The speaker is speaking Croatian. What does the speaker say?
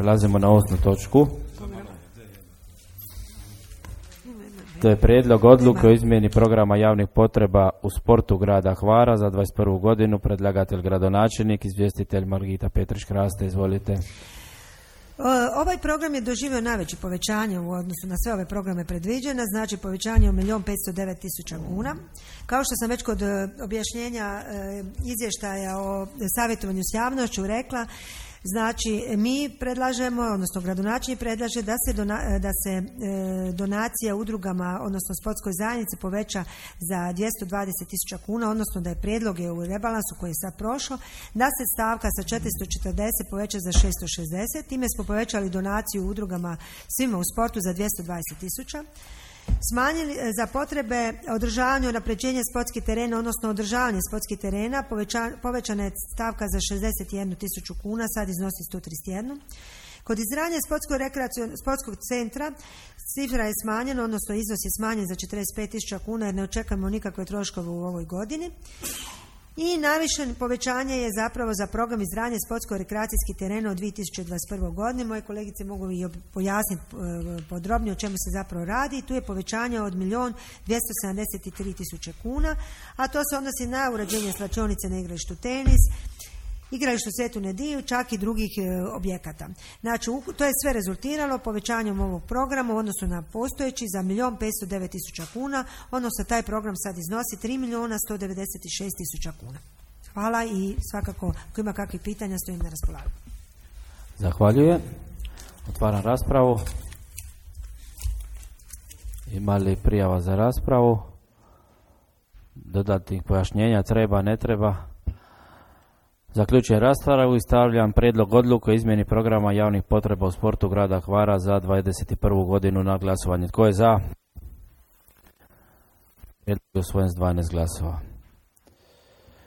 Prelazimo na 8. točku. To je prijedlog odluke o izmjeni programa javnih potreba u sportu grada Hvara za 21. godinu. Predlagatelj gradonačelnik, izvjestitelj Margita Petrić-Kraste. Izvolite. Ovaj program je doživio najveće povećanje u odnosu na sve ove programe predviđene, znači povećanje od 1.509.000 kuna. Kao što sam već kod objašnjenja izvještaja o savjetovanju s javnošću rekla, znači mi predlažemo, odnosno gradonačelnik predlaže da se donacija udrugama, odnosno sportskoj zajednici poveća za 220.000 kuna, odnosno da je prijedlog u rebalansu koji je sad prošlo, da se stavka sa 440 poveća za 660, time smo povećali donaciju udrugama svima u sportu za 220.000. Smanjili za potrebe održavanja i unapređenja sportskih terena, odnosno održavanje sportskih terena, povećana je stavka za 61.000 kuna, sad iznosi 131. Kod izgradnje sportskog centra cifra je smanjena, odnosno iznos je smanjen za 45.000 kuna jer ne očekujemo nikakve troškove u ovoj godini. I najviše povećanje je zapravo za program izgradnje sportsko-rekreacijskih terena u 2021. godini. Moje kolegice mogu i pojasniti podrobnije o čemu se zapravo radi. Tu je povećanje od 1.273.000 kuna, a to se odnosi na uređenje slačionice na igralištu tenis, igralištu Svetu Nediju, čak i drugih objekata. Znači, to je sve rezultiralo povećanjem ovog programa u odnosu na postojeći za 1.509.000 kuna, odnosno taj program sad iznosi 3.196.000 kuna. Hvala i svakako, ako ima kakvih pitanja, stojim na raspolaganju. Zahvaljujem. Otvaram raspravu. Ima li prijava za raspravu? Dodatnih pojašnjenja treba, ne treba? Zaključujem raspravu i stavljam prijedlog odluke o izmjeni programa javnih potreba u sportu grada Hvara za 21. godinu na glasovanje. Tko je za? Prijedlog je usvojen s 12 glasova.